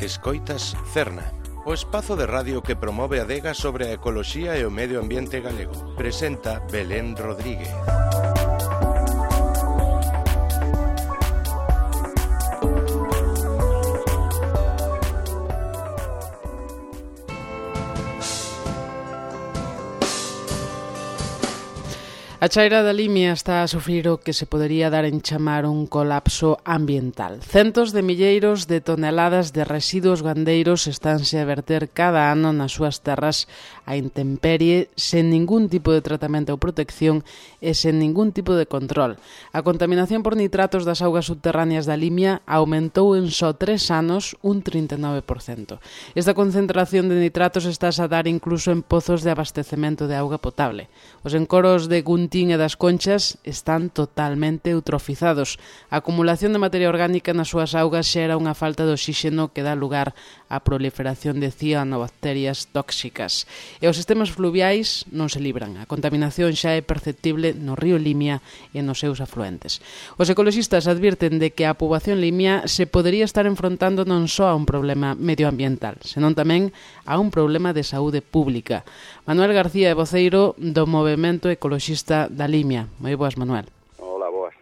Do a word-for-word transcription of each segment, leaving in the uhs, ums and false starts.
Escoitas Cerna, o espazo de radio que promove a adega sobre a ecoloxía e o medio ambiente galego. Presenta Belén Rodríguez. A chaira da Limia está a sufrir o que se podería dar en chamar un colapso ambiental. Centos de milleiros de toneladas de residuos gandeiros estánse a verter cada ano nas súas terras a intemperie, sen ningún tipo de tratamento ou protección e sen ningún tipo de control. A contaminación por nitratos das augas subterráneas da Limia aumentou en só tres anos un trinta e nove por cento. Esta concentración de nitratos está a dar incluso en pozos de abastecemento de auga potable. Os encoros de Guntín e das Conchas están totalmente eutrofizados. A acumulación de materia orgánica nas súas augas xera unha falta de oxíxeno que dá lugar á proliferación de cianobacterias tóxicas. E os sistemas fluviais non se libran. A contaminación xa é perceptible no río Limia e nos seus afluentes. Os ecoloxistas advirten de que a poboación limia se podería estar enfrontando non só a un problema medioambiental, senón tamén a un problema de saúde pública. Manuel García é voceiro do Movemento Ecoloxista da Limia. Moi boas, Manuel. Hola, boas.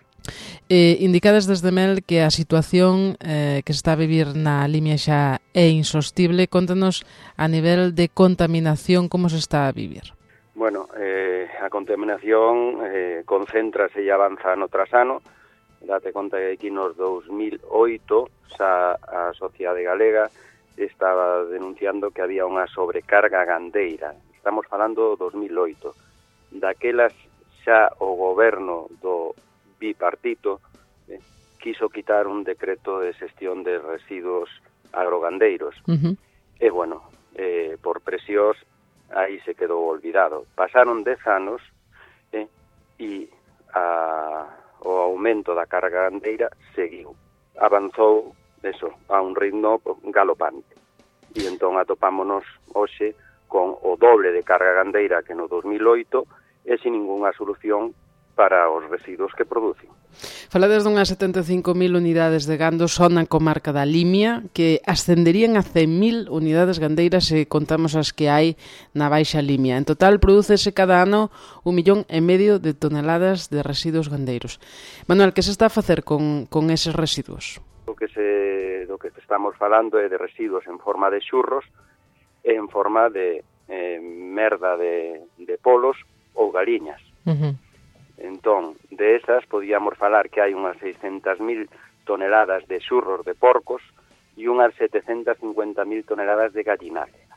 Eh, indicades desde Mel que a situación eh, que se está a vivir na Limia xa é insostible. Contanos a nivel de contaminación como se está a vivir. Bueno, eh, a contaminación eh, concéntrase e avanza ano tras ano. Date conta que aquí nos dos mil oito xa a sociedade galega estaba denunciando que había unha sobrecarga gandeira. Estamos falando do dos mil oito. Daquelas xa o goberno do bipartito eh, quiso quitar un decreto de xestión de residuos agrogandeiros. Uh-huh. E, bueno, eh, por presións, aí se quedou olvidado. Pasaron dez anos eh, e a, o aumento da carga gandeira seguiu. Avanzou, eso, a un ritmo galopante. E entón atopámonos hoxe con o doble de carga gandeira que no dos mil oito e sin ningunha solución para os residuos que producen. Falades dunhas setenta e cinco mil unidades de gando só na comarca da Limia, que ascenderían a cen mil unidades gandeiras se contamos as que hai na Baixa Limia. En total, prodúcese cada ano un millón e medio de toneladas de residuos gandeiros. Manuel, que se está a facer con, con eses residuos? O que, se, do que estamos falando é de residuos en forma de xurros e en forma de eh, merda de, de polos ou galiñas. Uh-huh. Entón, de esas podíamos falar que hai unhas seiscentas mil toneladas de xurros de porcos e unhas setecentas cincuenta mil toneladas de gallinacia.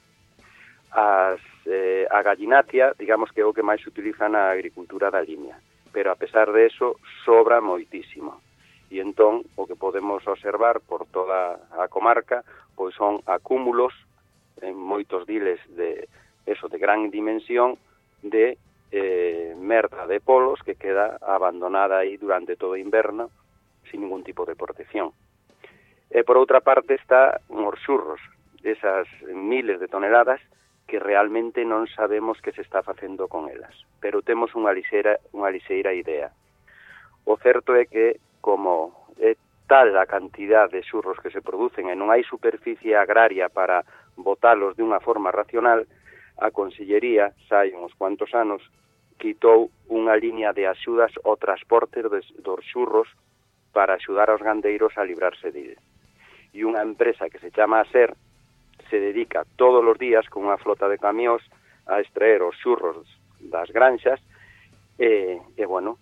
As, eh, a gallinacia, digamos que é o que máis se utiliza na agricultura da Limia, pero a pesar de eso sobra moitísimo. E entón, o que podemos observar por toda a comarca, pois son acúmulos en moitos diles de eso de gran dimensión de eh, merda de polos que queda abandonada aí durante todo o inverno sin ningún tipo de protección. E por outra parte está os xurros, esas miles de toneladas que realmente non sabemos que se está facendo con elas, pero temos unha lixeira, unha lixeira idea. O certo é que como é tal a cantidad de xurros que se producen e non hai superficie agraria para botalos de unha forma racional, a Consellería, xa hai uns cuantos anos, quitou unha liña de axudas ao transporte dos, dos xurros para axudar aos gandeiros a librarse dele. E unha empresa que se chama ASER se dedica todos os días con unha flota de camións a extraer os xurros das granxas e, e bueno,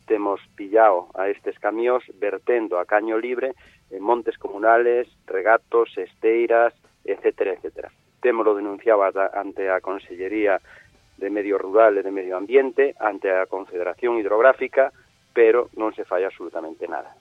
temos pillado a estes camións vertendo a caño libre en montes comunales, regatos, esteiras, etcétera, etcétera. Témolo denunciado ante a Consellería de Medio Rural e de Medio Ambiente, ante a Confederación Hidrográfica, pero non se fai absolutamente nada.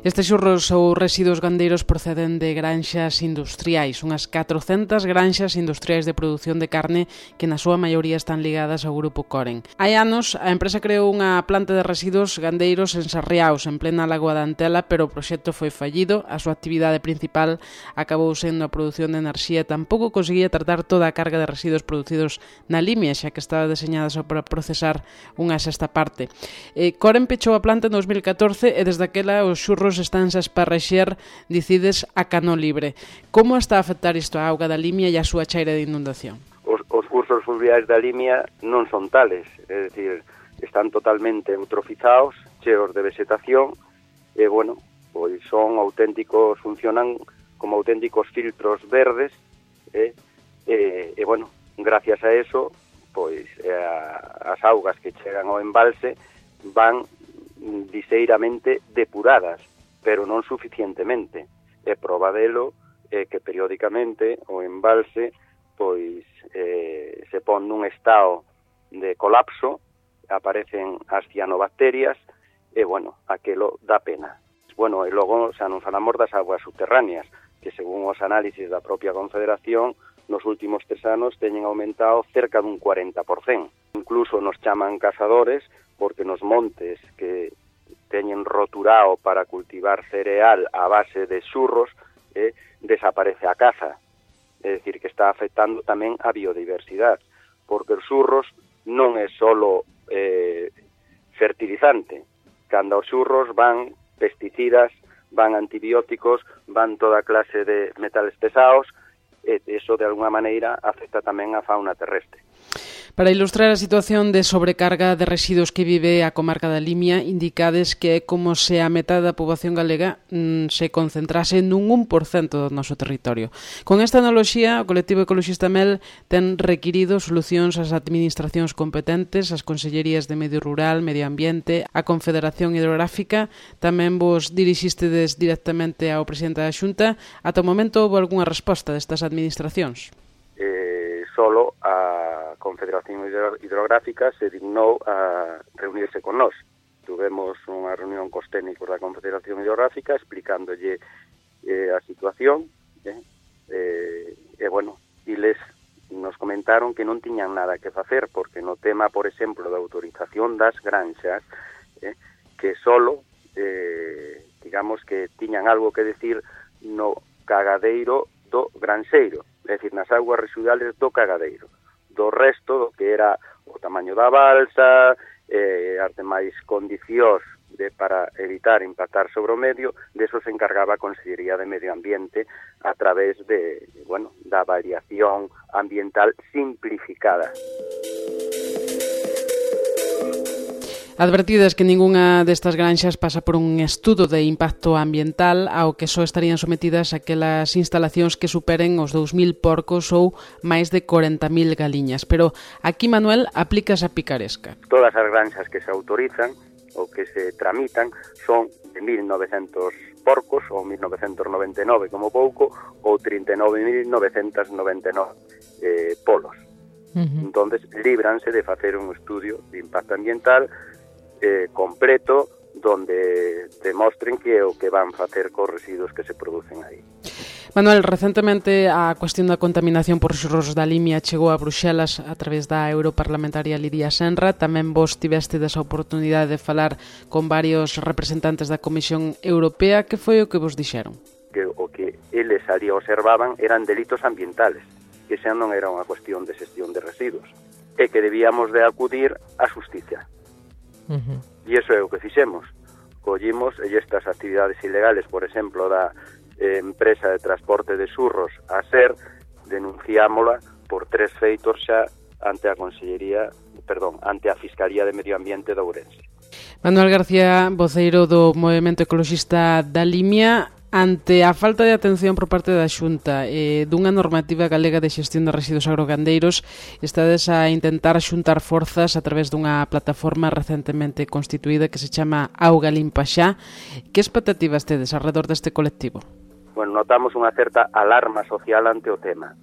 Estes xurros ou residuos gandeiros proceden de granxas industriais, unhas catrocentas granxas industriais de produción de carne que na súa maioría están ligadas ao grupo Coren. Hai anos, a empresa creou unha planta de residuos gandeiros en Sarriaos, en plena Lagoa da Antela, pero o proxecto foi fallido, a súa actividade principal acabou sendo a produción de enerxía e tampouco conseguía tratar toda a carga de residuos producidos na Limia, xa que estaba deseñada só para procesar unha sexta parte. Eh, Coren pechou a planta en dos mil catorce e desde aquela os xurros estánse a esparrexer, dicides, a cano libre. Como está a afectar isto a auga da Limia e a súa chaira de inundación? Os, os cursos fluviais da Limia non son tales, é dicir, están totalmente eutrofizados, cheos de vegetación, e, bueno, pois son auténticos, funcionan como auténticos filtros verdes, e, e, e bueno, gracias a eso, pois a, as augas que chegan ao embalse van liseiramente depuradas, pero non suficientemente. E proba delo é que periódicamente o embalse pois eh, se pon nun estado de colapso, aparecen as cianobacterias e, bueno, aquelo dá pena. Bueno, e logo xa non falamos das aguas subterráneas, que según os análisis da propia Confederación, nos últimos tres anos teñen aumentado cerca dun cuarenta por cento. Incluso nos chaman cazadores porque nos montes que teñen roturado para cultivar cereal a base de xurros, eh, desaparece a caza. É dicir, que está afectando tamén a biodiversidade, porque os xurros non é solo eh, fertilizante. Cando os xurros van pesticidas, van antibióticos, van toda clase de metales pesados, e eso de alguna maneira afecta tamén a fauna terrestre. Para ilustrar a situación de sobrecarga de residuos que vive a comarca da Limia, indicades que é como se a metade da poboación galega mmm, se concentrase nun un por cento do noso territorio. Con esta analoxía, o colectivo ecologista Mel ten requirido solucións ás administracións competentes, as consellerías de Medio Rural, Medio Ambiente, a Confederación Hidrográfica. Tamén vos dirixistedes directamente ao presidente da Xunta. Ata o momento houve algunha resposta destas administracións? Eh, solo a Confederación Hidrográfica se dignou a reunirse con nós. Tuvemos unha reunión cos técnicos da Confederación Hidrográfica explicándolle eh, a situación eh, eh, e, bueno, e les nos comentaron que non tiñan nada que facer porque no tema, por exemplo, da autorización das granxas, eh, que solo, eh, digamos que tiñan algo que decir no cagadeiro do granxeiro, é dicir, nas aguas residuales do cagadeiro. Do resto, do que era o tamaño da balsa, eh, as demais condicións de, para evitar impactar sobre o medio, deso se encargaba a Consellería de Medio Ambiente a través de, bueno, da variación ambiental simplificada. Advertidas que ningunha destas granxas pasa por un estudo de impacto ambiental ao que só estarían sometidas aquelas instalacións que superen os dous mil porcos ou máis de corenta mil galiñas. Pero aquí, Manuel, aplicas a picaresca. Todas as granxas que se autorizan ou que se tramitan son de mil novecentos porcos ou mil novecentos noventa e nove como pouco ou trinta e nove mil novecentos noventa e nove eh, polos. Uh-huh. Entonces, líbranse de facer un estudio de impacto ambiental Eh, completo donde demostren que o que van facer cos residuos que se producen aí. Manuel, recentemente a cuestión da contaminación por xurros da Limia chegou a Bruxelas a través da europarlamentaria Lidia Senra. Tamén vos tivestes a oportunidade de falar con varios representantes da Comisión Europea. Que foi o que vos dixeron? Que o que eles ali observaban eran delitos ambientales, que xa non era unha cuestión de xestión de residuos, e que debíamos de acudir á xustiza. Uh-huh. E iso é o que fixemos. Collimos e estas actividades ilegales, por exemplo, da eh, empresa de transporte de xurros a SER, denunciámola por tres feitos xa ante a Consellería, perdón, ante a Fiscalía de Medio Ambiente de Ourense. Manuel García, voceiro do Movemento Ecologista da Limia. Ante a falta de atención por parte da Xunta e dunha normativa galega de xestión de residuos agrogandeiros, estades a intentar xuntar forzas a través dunha plataforma recentemente constituída que se chama Auga Limpa Xa. Que expectativas tedes alrededor deste colectivo? Bueno, notamos unha certa alarma social ante o tema.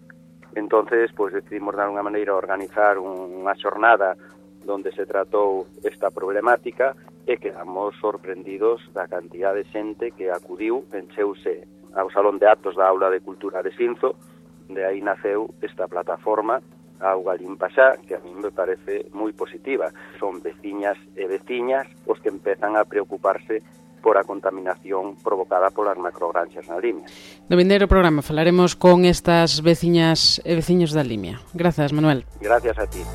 Entonces, pues, decidimos de alguna maneira organizar unha xornada donde se tratou esta problemática e quedamos sorprendidos da cantidad de xente que acudiu, encheuse ao Salón de Actos da Aula de Cultura de Sinzo. De aí naceu esta plataforma Auga Limpa Xa, que a mí me parece moi positiva. Son veciñas e veciñas os que empezan a preocuparse por a contaminación provocada polas macrogranxas na Limia. No vindeiro programa falaremos con estas veciñas e veciños da Limia. Grazas, Manuel. Gracias a ti.